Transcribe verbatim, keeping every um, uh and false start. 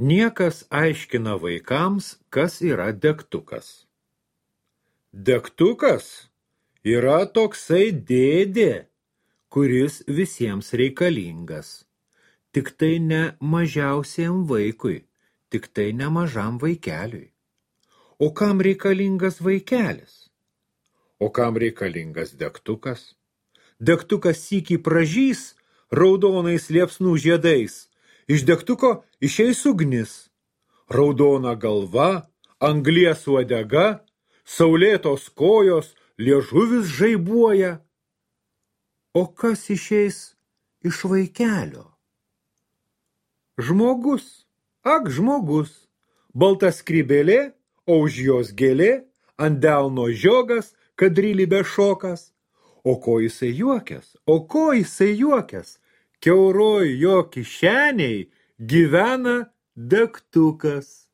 Niekas aiškina vaikams, kas yra degtukas. Degtukas yra toksai dėdė, kuris visiems reikalingas. Tik tai ne mažiausiam vaikui, tik tai ne mažam vaikeliui. O kam reikalingas vaikelis? O kam reikalingas degtukas? Degtukas sykį pražys raudonais liepsnų žiedais. Iš degtuko išeis ugnis. Raudona galva, anglies uodega, saulėtos kojos, liežuvis žaibuoja. O kas išeis iš vaikelio? Žmogus, ak žmogus, balta skrybėlė, o už jos gėlė, ant delno žiogas, kadrylybė šokas. O ko jisai juokęs, o ko jisai juokęs, kiauroj jo kišeniai gyvena degtukas.